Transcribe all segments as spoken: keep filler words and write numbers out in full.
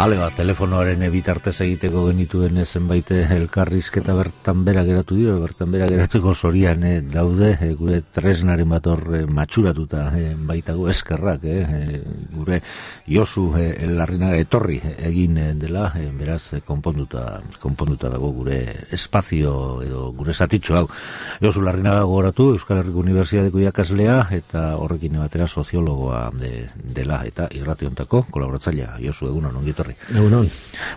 Ale bat, telefonoaren bitartez egiteko genituen zenbait elkarrizketa bertan bera geratu dira, bertan bera geratzeko zorian eh, daude, eh, gure tresnaren bat hor eh, matxuratuta eh, baitago eskerrak, eh, gure Josu eh, Larrinaga etorri egin eh, dela, eh, beraz eh, konponduta, konponduta dago gure espazio edo gure zatitxo hau. Josu Larrinaga gogoratu, Euskal Herriko Unibertsitateko irakaslea eta horrekin batera soziologoa de, dela eta irrationtako kolaboratzailea. Josu, egunon, ongi etorri. Egunon.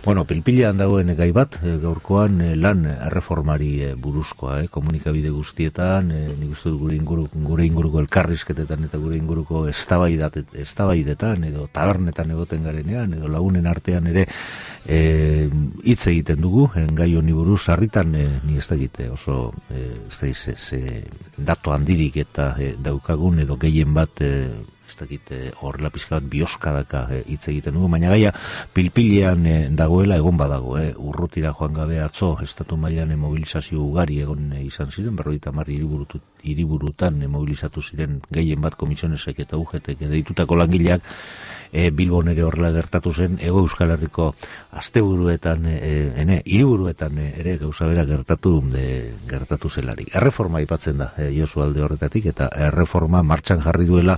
Bueno, pilpilean dagoen gai bat, gaurkoan lan erreformari buruzkoa, eh, komunikabide guztietan, eh, nik uste dut gure, inguru, gure inguruko elkarrizketetan eta gure inguruko eztabaidetan edo tabernetan egoten garenean, edo lagunen artean ere eh, hitz egiten dugu, en gai honi buruz, sarritan eh, ni ez da egite oso eh, ez da ze, ze datu handirik eta eh, daukagun edo gehien bat eh, ez dakit horrela pizka bat bioskadaka hitz e, egiten dugu, baina gaia pilpilean e, dagoela egon badago, e, urrutira joan gabe atzo, estatu mailan e, mobilizazio ugari egon e, izan ziren, berrogeita hamar hiriburutan e, mobilizatu ziren gehien bat komisionesek eta U G T deitutako langileak, e, Bilbon ere horrela gertatu zen, Hego Euskal Herriko asteburuetan, e, ene, hiriburuetan e, ere gauza bera gertatu de, gertatu zelarik. Erreforma aipatzen da, e, Josu alde horretatik, eta erreforma martxan jarri duela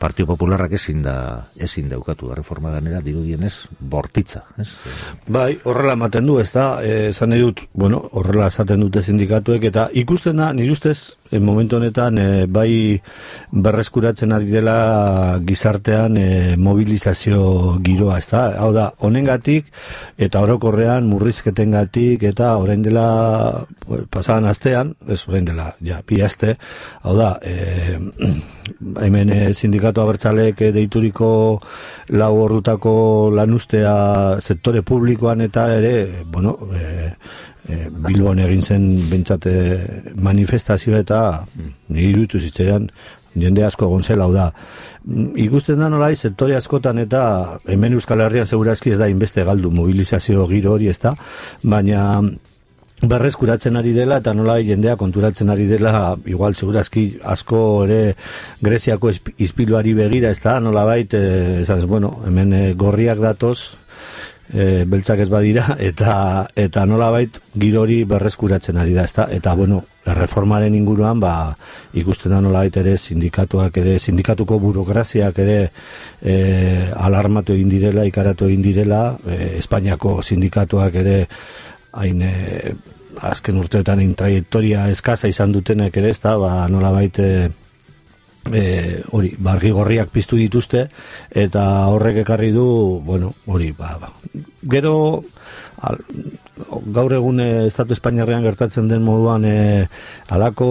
Partio Popularrak ezin da ezin daukatu erreforma ganera dirudienez bortitza, ez? Bai, horrela ematen du, ezta? Eh, esan nahi dut, bueno, horrela esaten dute sindikatuek eta ikusten da, nire ustez, en momentu honetan eh, bai berreskuratzen ari dela gizartean eh, mobilizazio giroa, ezta? Hau da, honengatik eta orokorrean murrizketengatik eta orain dela pasadan astean, ez orain dela, ja, bi aste, hau da, eh, hemen eh, sindikatu abertzaleek deituriko lau ordutako lanustea sektore publikoan eta ere, bueno, e, e, Bilbon egin zen bentsate manifestazioa eta nire iruditu zitzaidan jende asko egon zela, hau da. Ikusten da nolai sektore askotan eta hemen Euskal Herrian segurazki ez da inbeste galdu mobilizazio giro hori, ez da, baina berreskuratzen ari dela eta nola jendea konturatzen ari dela, igual segurazki asko ere Greziako ispiluari begira, ez da, nola bait, e, esan, bueno, hemen e, gorriak datoz, e, beltzak ez badira, eta eta nola bait girori berreskuratzen ari da, ez da, eta bueno, erreformaren inguruan, ba, ikusten da nola bait ere sindikatuak ere, sindikatuko burokraziak ere e, alarmatu egin direla, ikaratu egin direla, e, Espainiako sindikatuak ere hain e, azken urteetan in traiektoria eskaza izan dutenek ere, ez da, ba, nola baite e, hori, bargi gorriak piztu dituzte eta horrek ekarri du, bueno, hori, ba, ba. Gero al, gaur egun e, Estatu Espainiarrean gertatzen den moduan e, alako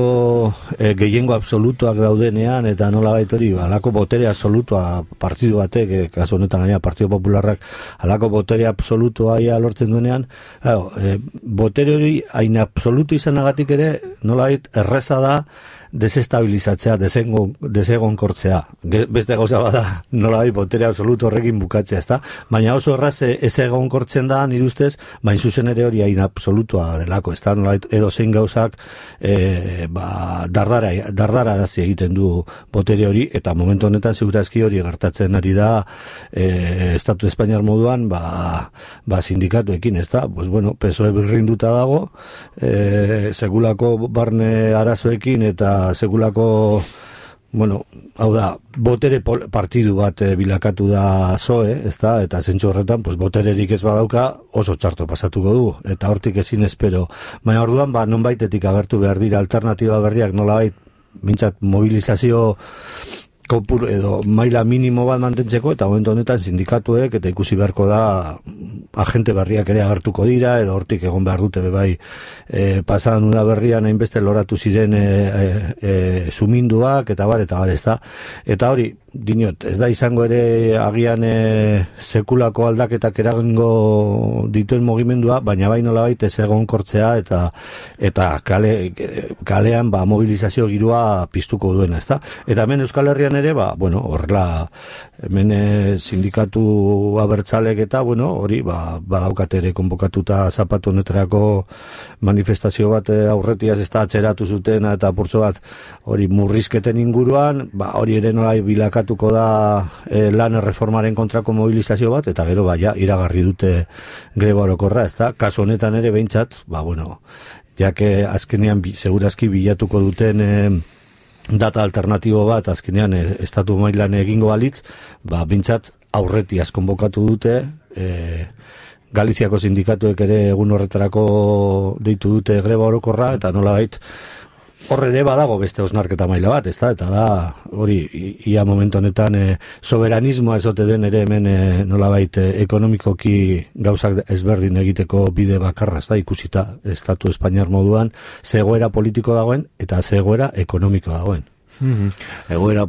e, gehiengo absolutuak daudenean eta nola bait hori, alako botere absolutua partidu batek, e, kasu honetan gaina Partido Popularrak alako botere absolutua ia lortzen duenean, claro, e, botere hori hain absolutu izanagatik ere nola bait erreza da desestabilizatzea, desegonkortzea. Beste gauza bada nola bai botere absolutu horrekin bukatzea, ezta? Baina oso erraz ez egonkortzen da, nire ustez, bain zuzen ere hori hain absolutua delako, ezta? Nola edo zein gauzak e, ba, dardara, dardara arazi egiten du botere hori, eta momentu honetan segurazki hori gertatzen ari da e, Estatu Espainiar moduan, ba, ba sindikatuekin, ezta? Pues bueno, P S O E birrinduta dago, e, segulako barne arazoekin eta segulako, bueno, hau da, botere partidu bat e, bilakatu da Z O E, ezta, eta zentsu horretan, pues, botererik ez badauka oso txarto pasatuko du, eta hortik ezin espero. Baina orduan, ba, nonbaitetik agertu behar dira alternatiba berriak, nolabait, mintzat mobilizazio kopur edo maila minimo bat mantentzeko, eta momentu honetan sindikatuek eta ikusi beharko da agente berriak ere agertuko dira, edo hortik egon behar dute bebai e, pasadan una berrian hainbeste loratu ziren e, e, e, suminduak, eta bar, eta bar, ez da. Eta hori, dinot, ez da izango ere agian e, sekulako aldaketak eragingo dituen mugimendua, baina bai nolabait ez egonkortzea eta eta kale, kalean ba, mobilizazio girua piztuko duena, ez da. Eta hemen Euskal Herrian ere, ba, bueno, horrela hemen e, sindikatu abertzalek eta, bueno, hori, ba, badaukat ere konbokatuta zapatu honetarako manifestazio bat aurretiaz ez da atzeratu zuten eta purtso bat hori murrizketen inguruan, ba, hori ere nolai bilakatu bilakatuko da e, lan erreformaren kontrako mobilizazio bat, eta gero baia iragarri dute greba orokorra, ezta? Kasu honetan ere behintzat, ba bueno, jake azkenean bi, segurazki bilatuko duten e, data alternatibo bat azkenean e, estatu mailan egingo balitz, ba behintzat aurretiaz konbokatu dute, e, Galiziako sindikatuek ere egun horretarako deitu dute greba orokorra, eta nolabait horre ere badago beste osnarketa maila bat, ezta? Eta da, hori, ia momentu honetan e, soberanismoa ezote den ere hemen e, nolabait e, ekonomikoki gauzak ezberdin egiteko bide bakarra, ezta? Ikusita estatu espainiar moduan zegoera politiko dagoen eta zegoera ekonomiko dagoen. Mm-hmm. Egoera,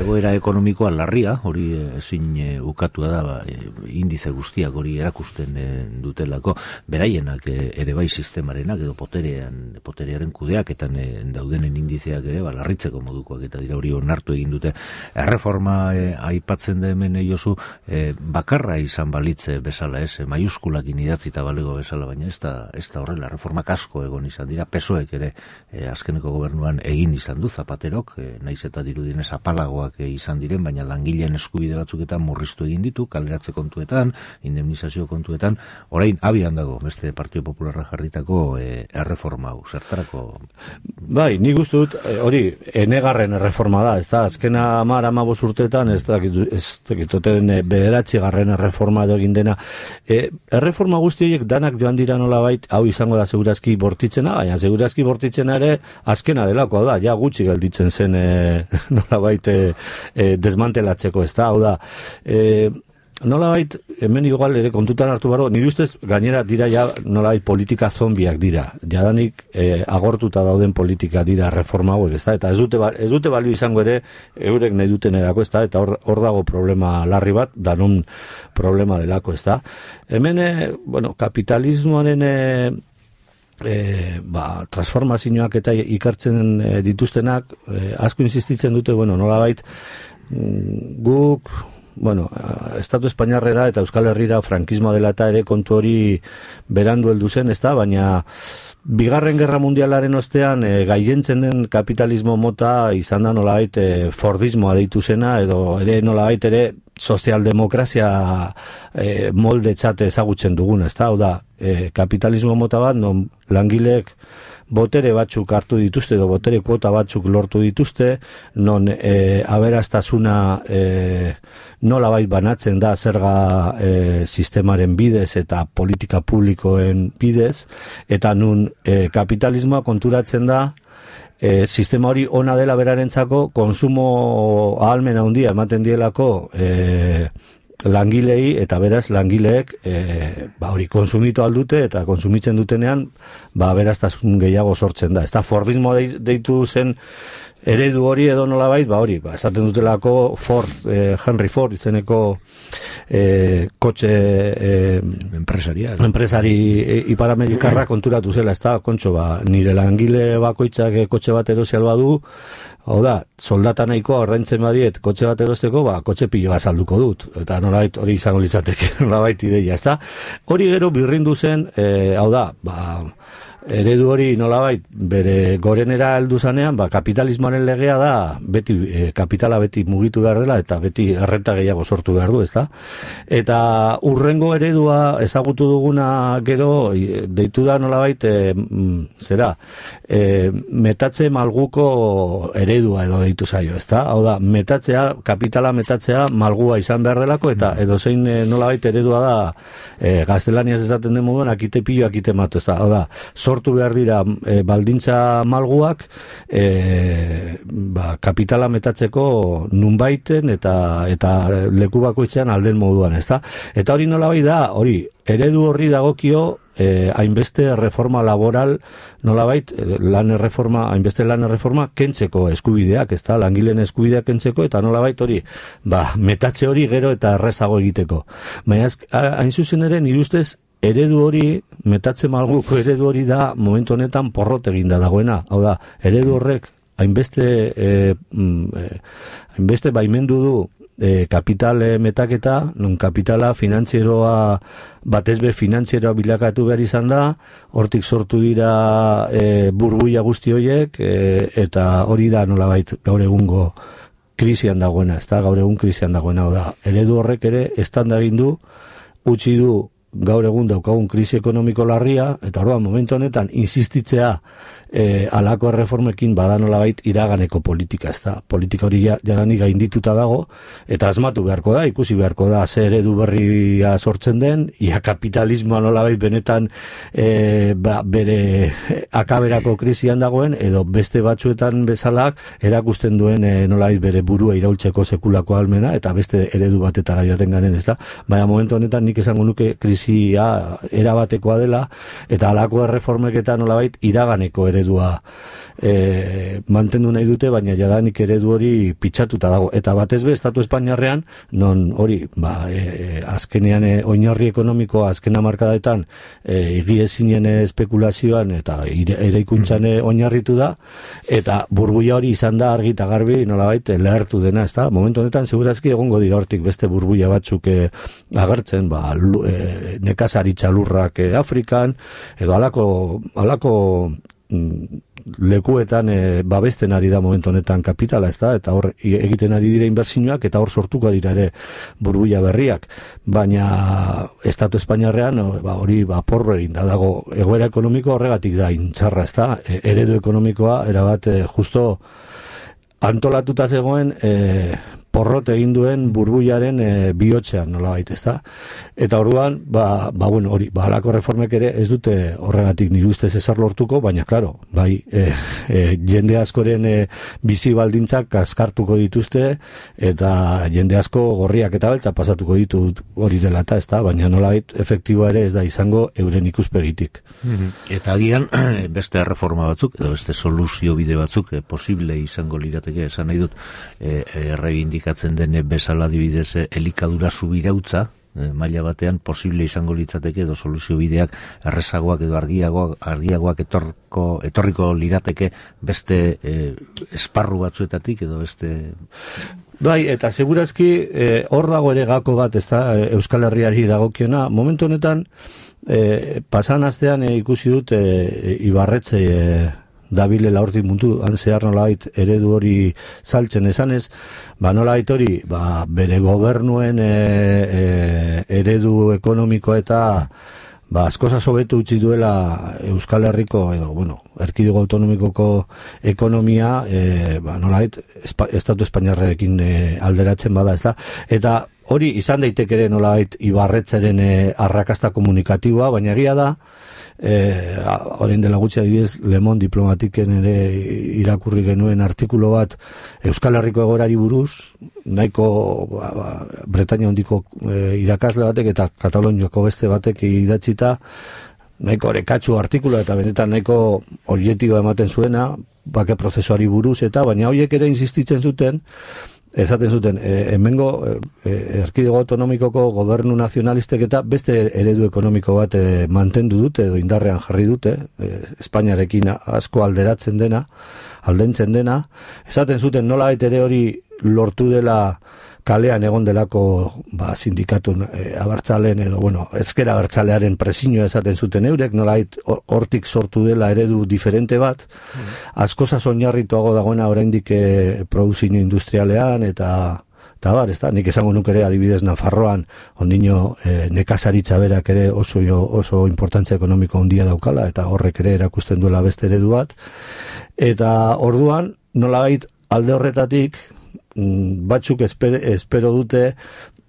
egoera ekonomikoa larria, hori ezin e, ukatua da, ba, e, indize guztiak hori erakusten e, dutelako, beraienak e, ere bai sistemarenak edo poterean, poterearen kudeaketan e, daudenen indizeak ere, ba, larritzeko modukoak eta dira hori onartu egin dute. Erreforma e, aipatzen da hemen Josu, e, bakarra izan balitze bezala, ez, e, maiuskulakin idatzita balego bezala, baina ez da, ez da horrela, reformak asko egon izan dira, pesoek ere e, azkeneko gobernuan egin izan du Zapatero, E, naiz eta dirudinez apalagoak e, izan diren, baina langileen eskubide batzuketan murriztu egin ditu, kaleratze kontuetan, indemnizazio kontuetan, orain abian dago, beste Partido Popularra jarritako e, erreforma hau, zertarako? Bai, nik uste dut, e, hori, enegarren erreforma da, ez da, azkena amar, amabos urteetan, ez da, ez dakitoten e, bederatzi garren erreforma edo egin dena. E, erreforma guzti horiek danak joan dira nolabait, hau izango da segurazki bortitzena, baina segurazki bortitzena ere azkena delako, da, ja gutxi gelditzen zen e, nolabait e, e, desmantelatzeko, ez da, hau da, e, nolabait, hemen igual ere kontutan hartu baro, nire ustez gainera dira ja nolabait politika zombiak dira, jadanik e, agortuta dauden politika dira reforma hauek, ez da, eta ez dute, ez dute balio izango ere eurek nahi duten erako, ez da, eta hor, hor dago problema larri bat, danon problema delako, ez da. Hemen, e, bueno, kapitalismoaren e, E, ba, transformazioak eta ikartzen e, dituztenak e, asko insistitzen dute, bueno, nolabait guk, bueno, Estatu Espainiarrera eta Euskal Herrira frankismoa dela eta ere kontu hori berandu heldu zen, ezta, baina Bigarren Gerra Mundialaren ostean e, gaientzen den kapitalismo mota izan da nolabait e, Fordismoa deitu zena, edo ere nolabait ere sozialdemokrazia e, molde txate ezagutzen duguna, ezta, hau da, e, kapitalismo mota bat, non langileek botere batzuk hartu dituzte, edo botere kuota batzuk lortu dituzte, non e, aberastasuna e, nolabait banatzen da zerga e, sistemaren bidez eta politika publikoen bidez, eta nun e, kapitalismoa konturatzen da E, sistema hori ona dela berarentzako, konsumo ahalmena handia ematen dielako e, langilei, eta beraz langileek e, ba hori konsumitu aldute, eta konsumitzen dutenean ba beraztasun gehiago sortzen da. Ez da, Fordismo deitu zen eredu hori edo nolabait, ba hori, ba, esaten dutelako Ford, eh, Henry Ford izeneko eh, kotxe eh, empresaria, empresari eh, iparamerikarra konturatu zela, ez da, kontxo, ba, nire langile bakoitzak eh, kotxe bat erosial badu, hau da, soldata nahikoa ordaintzen badiet kotxe bat erosteko, ba, kotxe piloa salduko dut, eta nolabait hori izango litzateke, nolabait ideia, ez da. Hori gero birrindu zen, eh, hau da, ba, eredu hori nolabait bere gorenera heldu zanean, ba, kapitalismoaren legea da beti e, kapitala beti mugitu behar dela eta beti errenta gehiago sortu behar du, ezta? Eta urrengo eredua ezagutu duguna gero deitu da nolabait e, zera e, metatze malguko eredua edo deitu zaio, ezta? Hau da, metatzea, kapitala metatzea malgua izan behar delako, eta edozein e, nolabait eredua da e, gaztelaniaz esaten den moduan akite pilo akite matu, ezta? Hau da, sortu behar dira e, baldintza malguak e, ba, kapitala metatzeko nunbaiten eta eta leku bakoitzean alden moduan, ezta? Eta hori nolabait da, hori eredu horri dagokio eh, hainbeste reforma laboral nolabait lan erreforma, hainbeste lan erreforma kentzeko eskubideak, ezta? Langileen eskubideak kentzeko, eta nolabait hori, ba, metatze hori gero eta errezago egiteko. Baina hain zuzen ere nire ustez eredu hori, metatze malguko eredu hori da momentu honetan porrot eginda dagoena. Hau da, eredu horrek hainbeste e, e, hainbeste baimendu du e, kapital e, metaketa, non kapitala finantzieroa batezbe finantzieroa bilakatu behar izan da, hortik sortu dira e, burbuia guzti horiek, e, eta hori da nolabait gaur egungo krisian dagoena, ez da, gaur egun krisian dagoena, da, eredu horrek ere estanda egin du, utzi du gaur egun daukagun krisi ekonomiko larria, eta orduan momentu honetan insistitzea e, alako erreformekin badanolabait iraganeko politika, ez da, politika hori jadanik gaindituta dago, eta asmatu beharko da, ikusi beharko da, ze eredu berria sortzen den, ia kapitalismoa nolabait benetan e, ba, bere akaberako krisian dagoen, edo beste batzuetan bezalak erakusten duen e, nolabait bere burua iraultzeko sekulako almena, eta beste eredu batetara joaten garen, ez da, baina momentu honetan nik esango nuke krisia erabatekoa dela, eta alako erreformeketan nolabait iraganeko ere eredua e, mantendu nahi dute, baina jadanik eredu hori pitxatuta dago. Eta batez be, Estatu Espainiarrean, non hori, ba, e, azkenean e, oinarri ekonomikoa azken hamarkadaetan e, igiezinen espekulazioan eta eraikuntzan e, oinarritu da, eta burbuia hori izan da argi eta garbi nolabait lehertu dena, ezta? Momentu honetan, segurazki egongo dira hortik beste burbuia batzuk e, agertzen, ba, e, nekazaritza lurrak e, Afrikan, edo alako, alako lekuetan e, babesten ari da momentu honetan kapitala, ez da, eta hor egiten ari dira inbertsioak, eta hor sortuko dira ere burbuia berriak, baina Estatu Espainiarrean ba, hori ba, porro egin da dago, egoera ekonomiko horregatik da intzarra, ez da, e, eredu ekonomikoa erabat e, justo antolatuta zegoen e, porrot egin duen burbuiaren e, bihotzean nolabait, ez da? Eta orduan, ba, ba bueno, hori, ba, halako reformek ere ez dute horregatik nire ustez ezar lortuko, baina, klaro, bai, e, e, jende askoren e, bizi baldintzak kaskartuko dituzte, eta jende asko gorriak eta beltza pasatuko ditu hori dela eta, ez da? Baina nolabait, efektiboa ere ez da izango euren ikuspegitik. Mm-hmm. Eta agian, beste reforma batzuk, edo beste soluzio bide batzuk, e, posible izango lirateke, esan nahi dut, e, errebindik katzen dene bezala dibidez elikadura subirautza, e, maila batean posible izango litzateke edo soluzio bideak errezagoak edo argiagoak, argiagoak etorko, etorriko lirateke beste e, esparru batzuetatik edo beste... Bai, eta segurazki hor e, dago ere gako bat, ez da, Euskal Herriari dagokiona, momentu honetan e, pasan astean e, ikusi dut e, Ibarretxe e, dabilela hortik mundu zehar nolabait eredu hori saltzen esanez, ba nolabait hori ba, bere gobernuen e, e, eredu ekonomiko eta ba askoz hobetu utzi duela Euskal Herriko edo bueno, erkidego autonomikoko ekonomia e, ba nolabait espa, Estatu Espainiarrekin e, alderatzen bada, ez da? Eta hori izan daiteke ere nolabait Ibarretzeren e, arrakasta komunikatiboa, baina egia da Eh, orain dela gutxi adibidez Le Monde diplomatiken ere irakurri genuen artikulu bat Euskal Herriko egoerari buruz, nahiko ba, ba, Bretainia hondiko e, irakasle batek eta Kataloniako beste batek idatzita nahiko orekatsu artikula eta benetan nahiko objektiboa ematen zuena bake prozesuari buruz eta baina horiek ere insistitzen zuten esaten zuten, e, hemengo e, erkidego autonomikoko gobernu nazionalistek eta beste eredu ekonomiko bat e, mantendu dute edo indarrean jarri dute, e, Espainiarekin asko alderatzen dena, aldentzen dena, esaten zuten nola ere hori lortu dela kalean egon delako ba, sindikatu e, abertzaleen edo, bueno, ezker abertzalearen presioa esaten zuten eurek, nolait hortik sortu dela eredu diferente bat, mm. askoz oinarrituago dagoena oraindik e, produzio industrialean eta eta bar, ez da, nik esango nuk ere adibidez Nafarroan, ondino e, nekazaritza berak ere oso, oso importantzia ekonomiko handia daukala, eta horrek ere erakusten duela beste eredu bat, eta orduan, nolabait alde horretatik, batzuk espero, espero dute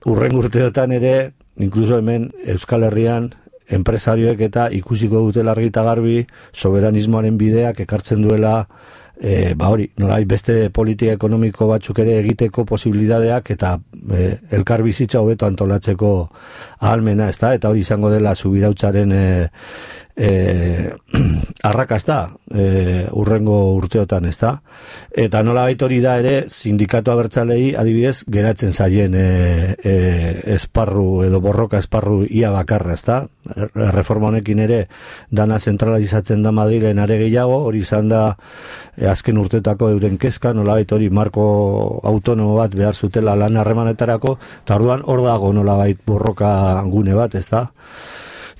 urren urteotan ere inkluso hemen Euskal Herrian enpresarioek eta ikusiko dute largi eta garbi soberanismoaren bideak ekartzen duela e, ba hori, nolai beste politika ekonomiko batzuk ere egiteko posibilidadeak eta e, elkar bizitza hobeto antolatzeko ahalmena, ez da, eta hori izango dela subirautzaren e, E, arrakasta e, urrengo urteotan, ez da, eta nola hori da ere sindikatu abertzalei adibidez geratzen zaien e, e, esparru edo borroka esparru ia bakarra, ez da, reforma honekin ere dana zentralizatzen da Madrilen are gehiago, hori izan da e, azken urteetako euren kezka, nola hori marko autonomo bat behar zutela lan harremanetarako, eta orduan hor dago nola borroka gune bat, ez da.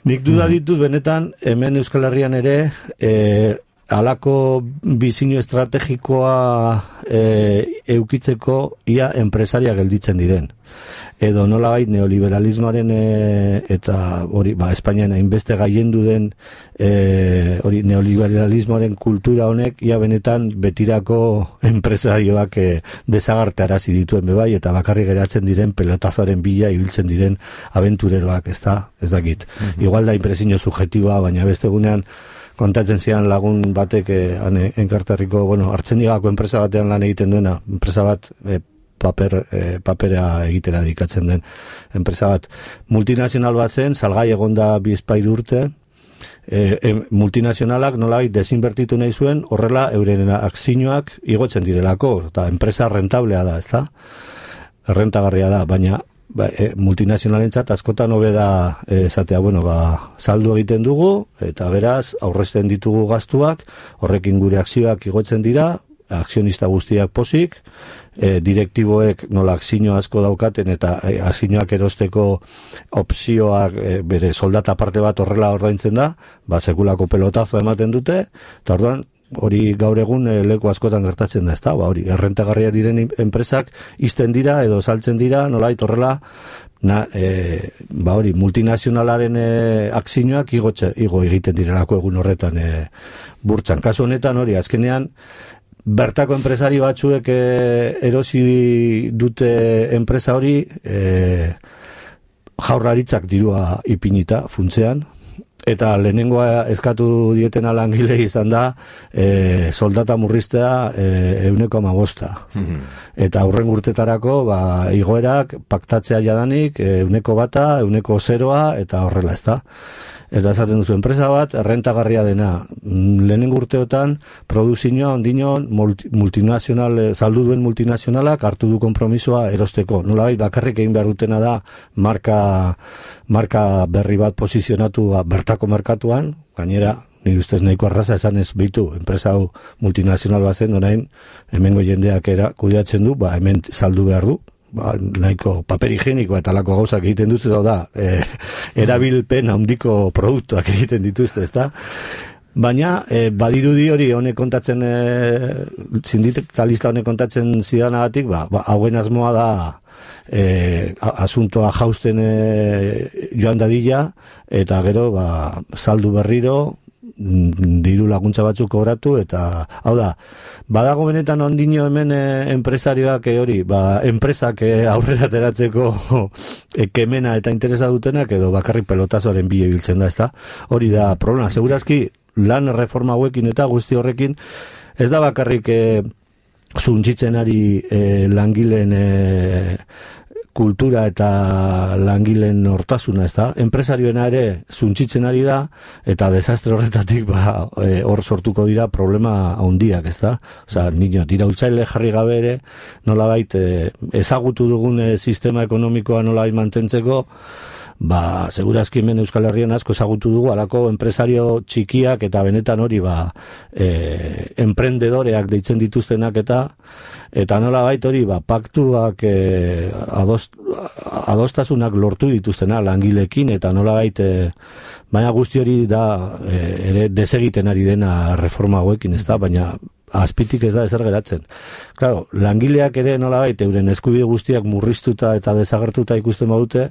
Nik duda ditut benetan, hemen Euskal Herrian ere, e, alako bizino estrategikoa e, eukitzeko ia enpresaria gelditzen diren. Edo nolabait neoliberalismoaren e, eta hori, ba, Espainian hainbeste gaiendu den e, hori neoliberalismoaren kultura honek ia benetan betirako enpresarioak e, desagartarazi dituen bebai eta bakarrik geratzen diren pelotazoaren bila ibiltzen diren abentureroak, ez da, ez dakit. Mm-hmm. Igual da impresio subjetiboa, baina beste egunean kontatzen zian lagun batek eh, enkarterriko, bueno, Artzenigako enpresa batean lan egiten duena, enpresa bat eh, paper, eh, papera egitera dedikatzen den enpresa bat. Multinazional bat zen, salgai egonda bizpairu urte, e, e, multinazionalak nolabait desinbertitu nahi zuen, horrela euren akzioak igotzen direlako, eta enpresa rentablea da, ezta? Rentagarria da, baina ba, e, multinazionalentzat askotan hobe da e, esatea, bueno, ba, saldu egiten dugu, eta beraz, aurrezten ditugu gastuak, horrekin gure akzioak igotzen dira, akzionista guztiak posik, e, direktiboek nola akzio asko daukaten eta e, akzioak erosteko opzioak e, bere soldata parte bat horrela ordaintzen da, ba sekulako pelotazo ematen dute, eta orduan hori gaur egun e, leku askotan gertatzen da, ezta? Ba hori, errentagarria diren enpresak izten dira edo saltzen dira, nolait horrela na, e, ba hori, multinazionalaren e, akzioak igotxe, igo egiten direlako egun horretan e, burtsan. Kasu honetan hori, azkenean bertako enpresari batzuek e, erosi dute enpresa hori e, jaurlaritzak dirua ipinita funtzean, eta lehenengoa eskatu dietena langile izan da e, soldata murriztea e, euneko amabosta. Mm-hmm. Eta aurren urtetarako ba, igoerak paktatzea jadanik euneko bata, euneko zeroa eta horrela, ez da. Eta esaten duzu, enpresa bat, errentagarria dena. Lehenengo urteotan, produzioa ondinon multi, multinazional, saldu duen multinazionalak hartu du konpromisoa erosteko. Nolabait, bakarrik egin behar dutena da marka, marka berri bat posizionatu bertako merkatuan, gainera, nire ustez nahiko arraza esan ez bitu, enpresa hau multinazional bat zen, orain, hemengo jendeak era kudeatzen du, ba, hemen saldu behar du. Ba, nahiko paper higieniko eta lako gauzak egiten dutzu da, e, erabilpen handiko produktuak egiten dituzte, ezta? Baina, e, badirudi hori honek kontatzen, e, sindikalista honek kontatzen zidanagatik, ba, ba, hauen asmoa da e, asuntoa jausten e, joan dadila, eta gero, ba, saldu berriro, diru laguntza batzuk kobratu, eta hau da, badago benetan ondino hemen e, enpresarioak e, hori, ba, enpresak e, aurrera ateratzeko e, kemena eta interesa dutenak, edo bakarrik pelotazoaren bile biltzen da, ezta? Hori da problema, segurazki lan reforma hauekin eta guzti horrekin, ez da bakarrik e, zuntzitzen ari e, langileen e, kultura eta langileen hortasuna, ez da? Enpresarioena ere zuntzitzen ari da, eta desastre horretatik ba, e, hor sortuko dira problema handiak, ez da? Osa, nino, dira utzaile jarri gabe ere, nolabait, e, ezagutu dugun e, sistema ekonomikoa nolabait mantentzeko, ba, segurazki hemen Euskal Herrian asko ezagutu dugu, alako enpresario txikiak eta benetan hori, ba, e, emprendedoreak deitzen dituztenak eta eta nolabait hori, ba, paktuak e, adost, adostasunak lortu dituztena langilekin eta nolabait, e, baina guzti hori da e, ere desegiten ari dena reforma hauekin, ez da, baina azpitik ez da ezer geratzen. Claro, langileak ere nolabait euren eskubide guztiak murriztuta eta desagertuta ikusten badute,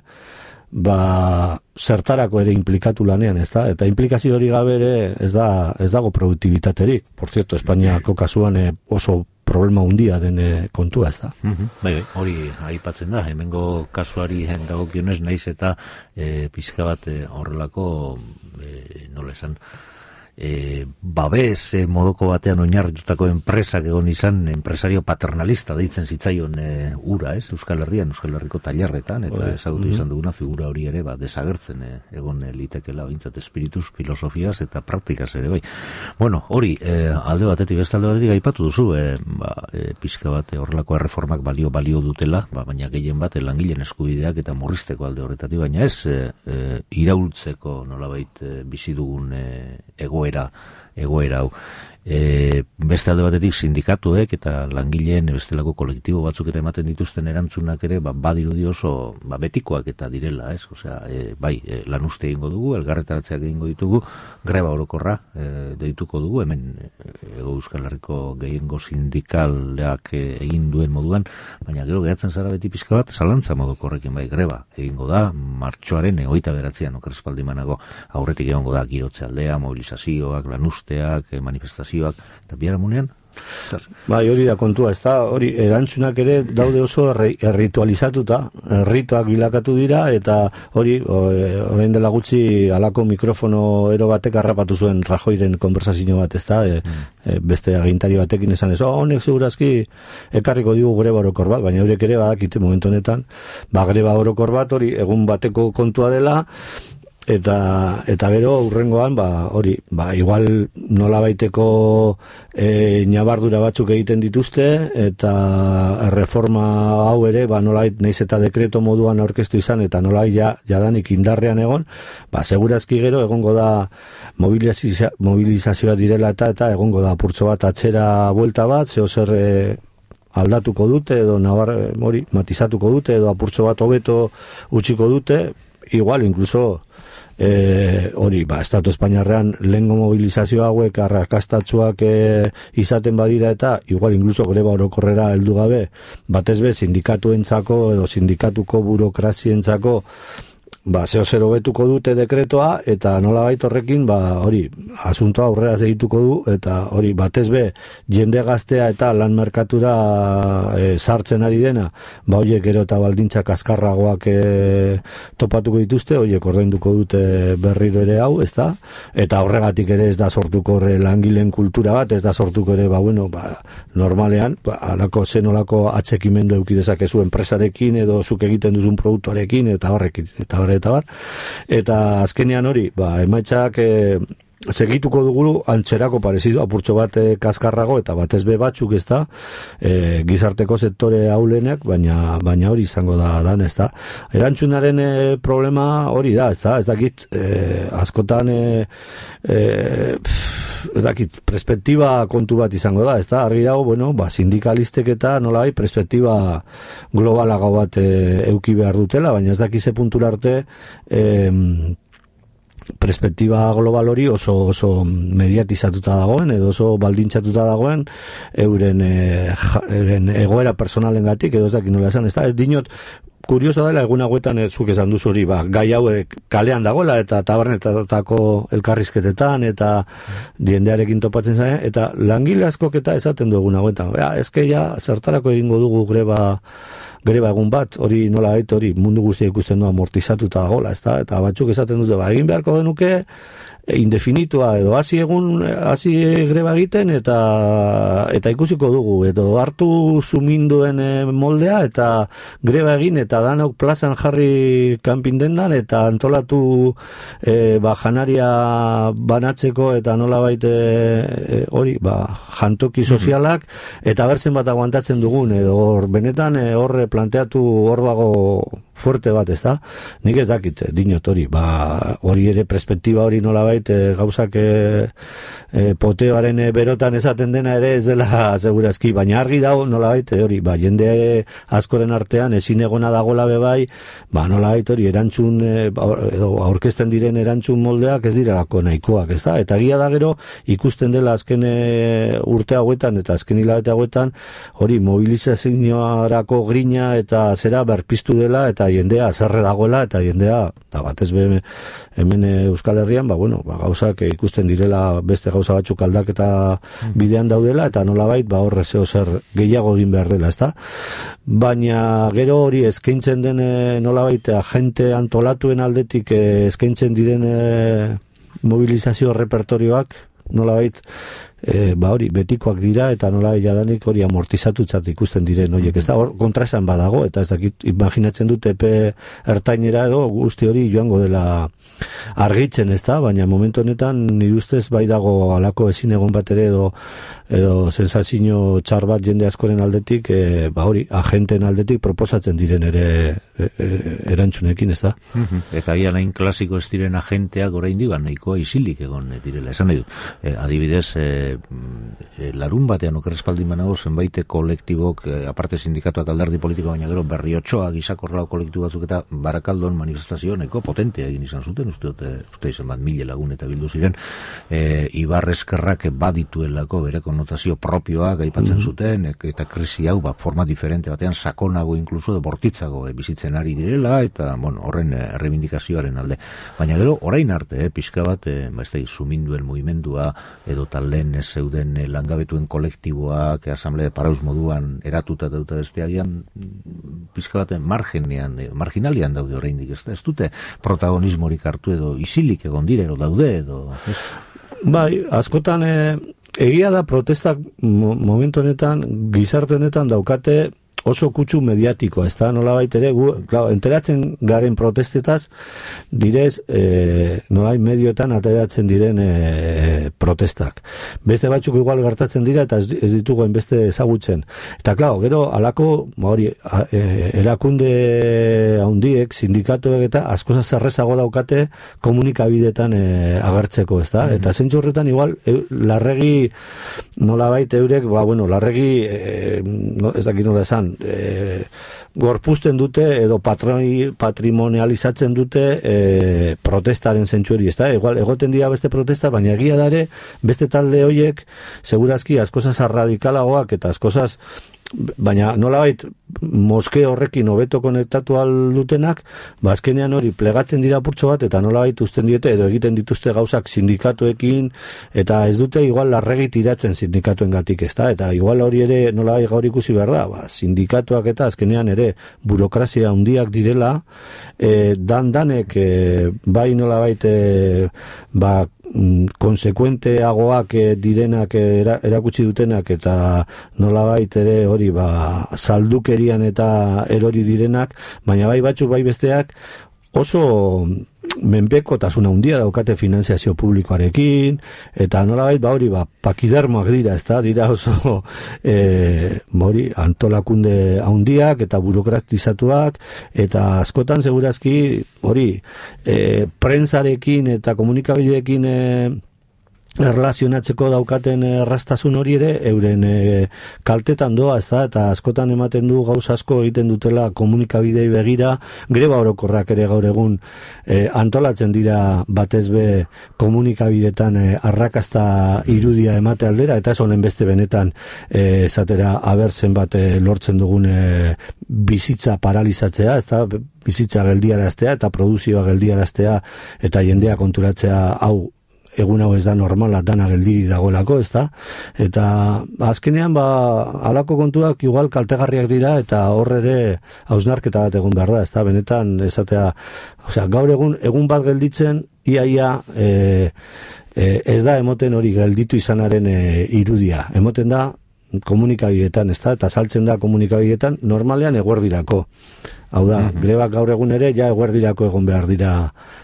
ba, zertarako ere implikatu lanean, ez da? Eta implikazio hori gabe ere ez da, ez dago produktibitaterik. Por cierto, Espainiako kasuan e, oso problema handia den e, kontua, ez da? Mm-hmm. Bai, bai, hori aipatzen da, hemengo kasuari dagokionez naiz eta e, pizka bat e, horrelako e, nola esan, E, babes e, modoko batean oinarritutako enpresak egon izan, enpresario paternalista deitzen zitzaion e, ura, ez? Euskal Herrian, Euskal Herriko tailerretan, eta ezagutu izan duguna figura hori ere, ba, desagertzen e, egon e, litekela bintzat espirituz, filosofiaz eta praktikaz ere, bai. Bueno, hori, e, alde batetik, beste alde batetik aipatu duzu, e, ba, e, pixka bat e, horrelako erreformak balio balio dutela, ba, baina gehien bat e, langileen eskubideak eta murrizteko alde horretatik, baina ez e, e, iraultzeko nolabait e, bizi dugun e, egoera egoera hau. E, beste alde batetik sindikatuek eta langileen bestelako kolektibo batzuk eta ematen dituzten erantzunak ere ba, badirudi oso ba, betikoak eta direla, ez? Osea, e, bai, e, lan uste egingo dugu, elgarretaratzeak egingo ditugu, greba orokorra e, deituko dugu, hemen Ego Euskal Herriko gehiengo sindikaleak e, egin duen moduan, baina gero gehatzen zara beti pizka bat, zalantza moduko horrekin bai, greba egingo da, martxoaren hogeita bederatzian okerrespaldi manago aurretik egongo da girotze aldea, mobilizazioak, lanusteak, e, manifestazioak, eta biharamunean? Bai, hori da kontua, ez da, hori, erantzunak ere daude oso erritualizatuta, errituak bilakatu dira, eta hori, orain dela gutxi alako mikrofono ero batek harrapatu zuen Rajoiren konversazio bat, ez da, e, e, beste agintari batekin esan ez, oh, honek segurazki ekarriko digu greba orokor bat, baina horiek ere badakite momentu honetan, ba, greba orokor bat, hori, egun bateko kontua dela, eta eta gero urrengoan ba hori ba igual nolabaiteko e, ñabardura batzuk egiten dituzte eta reforma hau ere ba nolait naiz eta dekreto moduan aurkeztu izan eta nolait ja jadanik indarrean egon ba segurazki gero egongo da mobilizazioa mobilizazioa direla eta eta egongo da apurtxo bat atzera buelta bat zeo zer e, aldatuko dute edo nabar hori matizatuko dute edo apurtxo bat hobeto utziko dute igual incluso E, hori, ba, Estatu Espainiarrean lehengo mobilizazio hauek arrakastatsuak e, izaten badira eta igual incluso greba orokorrera heldu gabe batez be sindikatuentzako edo sindikatuko burokrazientzako ba, zeo zer hobetuko dute dekretoa eta nolabait horrekin ba, hori, asuntoa aurrera segituko du eta hori, batez be jende gaztea eta lan merkatura e, sartzen ari dena ba, horiek gero eta baldintzak azkarragoak e, topatuko dituzte, horiek ordainduko dute berriro ere hau, ez da? Eta horregatik ere ez da sortuko horre langileen kultura bat, ez da sortuko ere, ba, bueno, ba, normalean, ba, alako zenolako atxekimendu eukidezakezu enpresarekin edo zuk egiten duzun produktuarekin eta horrekin, eta horrekin eta bar, eta azkenean hori, ba, emaitzak e, segituko dugu antzerako parezidu, apurtxo bat e, kaskarrago, eta batez be batzuk ez da, e, gizarteko sektore haulenek, baina, baina hori izango da, dan, ez da. Erantzunaren e, problema hori da, ez da, ez dakit, e, askotan, e, e, pff, ez dakit, perspektiba kontu bat izango da, ez da, argi dago, bueno, ba, sindikalistek eta nolai, perspektiba globalago bat e, euki behar dutela, baina ez dakize puntura arte, e, perspektiba global hori oso oso mediatizatuta dagoen edo oso baldintzatuta dagoen euren, e, ja, euren egoera personalengatik edo ez dakit nola esan, ez da, ez dinot kurioso dela egun hauetan zuk esan duzu hori, ba, gai hauek kalean dagoela eta tabernetatako elkarrizketetan eta diendearekin topatzen zain, eta langile askok eta esaten du egun hauetan, ja, ezke ja zertarako egingo dugu greba greba egun bat, hori nola gait, hori mundu guztia ikusten du amortizatuta dagoela, ez da, eta batzuk esaten dute, ba, egin beharko genuke indefinitua edo hasi egun hasi greba egiten eta eta ikusiko dugu edo hartu suminduen moldea eta greba egin eta danok plazan jarri kanpin dendan eta antolatu e, ba, janaria banatzeko eta nolabait e, hori ba, jantoki sozialak eta berzen bat aguantatzen dugun edo hor benetan e, horre planteatu hor dago fuerte bat, ez da? Nik ez dakit, dinot hori, ba, hori ere perspektiba hori nolabait e, gauzak e, e, poteoaren e, berotan esaten dena ere ez dela segurazki, baina argi dago nolabait e, hori, ba, jende askoren artean ezin egona dagoela bebai, ba, nolabait hori erantzun, e, edo aurkezten diren erantzun moldeak ez direlako nahikoak, ez da? Eta egia da gero ikusten dela azken e, urte hauetan eta azken hilabete hauetan hori mobilizazioarako grina eta zera berpiztu dela eta jendea azarre dagoela eta jendea da batez be hemen Euskal Herrian ba bueno ba gauzak ikusten direla beste gauza batzuk aldaketa bidean daudela eta nolabait ba horre zeo zer gehiago egin behar dela, ezta? Baina gero hori eskaintzen den nolabait agente antolatuen aldetik eskaintzen diren mobilizazio repertorioak nolabait e, ba hori, betikoak dira, eta nola jadanik hori amortizatutzat ikusten diren horiek, ez da, hor, kontraesan badago, eta ez dakit, imaginatzen dut epe ertainera edo guzti hori joango dela argitzen, ez da, baina momentu honetan nire ustez bai dago alako ezin egon bat ere edo, edo sensazio txar bat jende askoren aldetik, e, ba hori, agenten aldetik proposatzen diren ere e, e, erantzunekin, ez da. Eta gian hain klasiko ez diren agenteak oraindik ba nahikoa isilik egon direla. Esan nahi dut, e, adibidez, e, e, larun batean okerrespaldin banago zenbait kolektibok, e, aparte sindikatuak alderdi politiko baina gero Berriotxoa, gizakorrao kolektibo batzuk eta Barakaldon manifestazio nahiko potentea egin izan zuten, uste dut, uste izan bat mila lagun eta bildu ziren, e, Ibar Eskerrak badituelako bere konnotazio propioak aipatzen mm-hmm. zuten, e, eta krisi hau ba, forma diferente batean sakonago inkluso de bortitzago e, bizitzen ari direla, eta bueno, horren e, reivindikazioaren alde. Baina gero, orain arte, eh, pixka bat, eh, ba, ez da, suminduen mugimendua, edo talen ez zeuden eh, langabetuen kolektiboak, asamblea de paraus moduan eratuta eta dut besteagian, pixka bat, margenean, eh, marginalian daude oraindik, ez da, ez dute protagonismorik hartu edo isilik egon dire, edo daude, edo... Ez? Bai, askotan, eh, egia da protestak mo momentu honetan, gizarte honetan daukate oso kutsu mediatiko, ez da, nola baitere, gu, klar, enteratzen garen protestetaz, direz, e, nola medioetan ateratzen diren e, protestak. Beste batzuk igual gertatzen dira, eta ez, ez ditugu beste ezagutzen. Eta, klar, gero, alako, hori, e, erakunde haundiek, sindikatuek eta askoza zerrezago daukate komunikabidetan e, agertzeko, ez da? Mm-hmm. Eta zentzu horretan, igual, e, larregi, nola baite eurek, ba, bueno, larregi, e, no, ez dakit nola esan, E, gorpuzten dute edo patroi, patrimonializatzen dute e, protestaren zentsueri, ez da? Igual, egoten dira beste protesta, baina egia dare beste talde horiek segurazki askozaz radikalagoak eta askozaz, baina nolabait moske horrekin hobeto konektatu aldutenak, ba azkenean hori plegatzen dira purtso bat eta nolabait uzten diete edo egiten dituzte gauzak sindikatuekin eta ez dute igual larregi tiratzen sindikatuengatik, ezta? Eta igual hori ere nolabait gaur ikusi behar da, ba sindikatuak eta azkenean ere burokrazia handiak direla, e, dan danek e, bai nolabait e, ba konsekuenteagoak direnak era, erakutsi dutenak eta nolabait ere hori ba saldukerian eta erori direnak, baina bai batzuk bai besteak oso menpekotasun handia daukate finanziazio publikoarekin eta nolabait ba hori ba pakidermoak dira, ezta? Dira oso eh hori antolakunde handiak eta burokratizatuak eta askotan segurazki hori eh prentsarekin eta komunikabideekin eh erlazionatzeko daukaten erraztasun hori ere euren e, kaltetan doa, ez da, eta askotan ematen du gauz asko egiten dutela komunikabidei begira, greba orokorrak ere gaur egun e, antolatzen dira batezbe komunikabidetan e, arrakasta irudia emate aldera, eta ez honen beste benetan e, esatera abertzen bat e, lortzen dugun e, bizitza paralizatzea, ez da, bizitza geldiaraztea eta produzioa geldiaraztea eta jendea konturatzea hau egun hau ez da normala, dana geldiri dagoelako, ez da? Eta azkenean, ba, halako kontuak igual kaltegarriak dira, eta hor ere hausnarketa bat egun behar da, ez da? Benetan, esatea, osea, gaur egun, egun bat gelditzen, iaia, e, e, ez da emoten hori gelditu izanaren e, irudia. Emoten da komunikabidetan, ez da? Eta saltzen da komunikabidetan, normalean eguerdirako. Hau da, mm-hmm. Grebak gaur egun ere, ja eguerdirako egon behar dira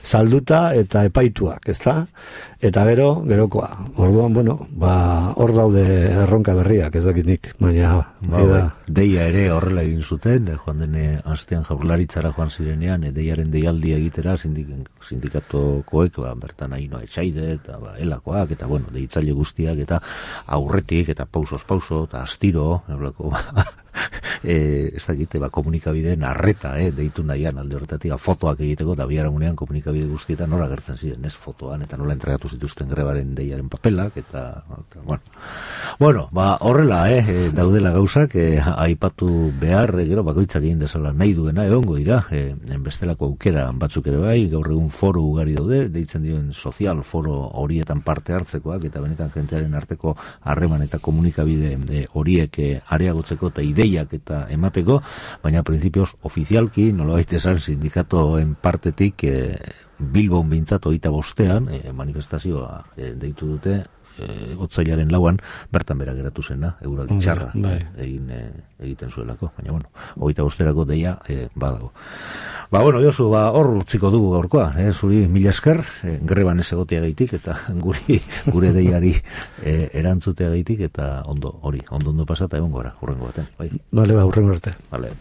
salduta eta epaituak, ez da? Eta gero, gerokoa. Orduan, bueno, ba, hor daude erronka berriak, ez dakit nik, baina... Ba, ba, deia ere horrela egin zuten, eh, joan dene astean jaurlaritzara joan zirenean, eh, deiaren deialdia egitera sindik, sindikatukoek, ba, bertan hainoa etxaide, eta ba, elakoak, eta bueno, deitzaile guztiak, eta aurretik, eta pausos pauso, eta astiro, eblako, ba, e, ez dakite, ba, komunikabideen arreta, eh, deitu nahian alde horretatik, fotoak egiteko, eta biharamunean komunikabide guztietan nola gertzen ziren, ez, fotoan, eta nola entregatu zituzten grebaren deiaren papelak, eta, eta bueno, bueno, ba, horrela, eh, daudela gauzak, eh, aipatu behar, eh, gero, bakoitzak egin dezala nahi duena, egongo dira, eh, bestelako aukera batzuk ere bai, gaur egun foro ugari daude, deitzen diren sozial foro horietan parte hartzekoak, eta benetan jentearen arteko harreman eta komunikabide eh, horiek eh, areagotzeko eta ideiak eta emateko, baina prinsipioz ofizialki, nolabait esan sindikatoen partetik, eh, Bilbon bintzatu egita bostean, e, manifestazioa e, deitu dute, e, otsailaren lauan, bertan bera geratu zena, euraldi txarra bai. egin, e, egiten zuelako, baina bueno, hogeita bosterako deia e, badago. Ba, bueno, Josu, ba, hor utziko dugu gaurkoa, eh? Zuri mila esker, eh, greban ez egotea gaitik, eta guri, gure deiari eh, erantzutea gaitik, eta ondo, hori, ondo ondo pasata egon gora, hurrengo baten, bai? Bale, ba, hurrengo arte. Bale.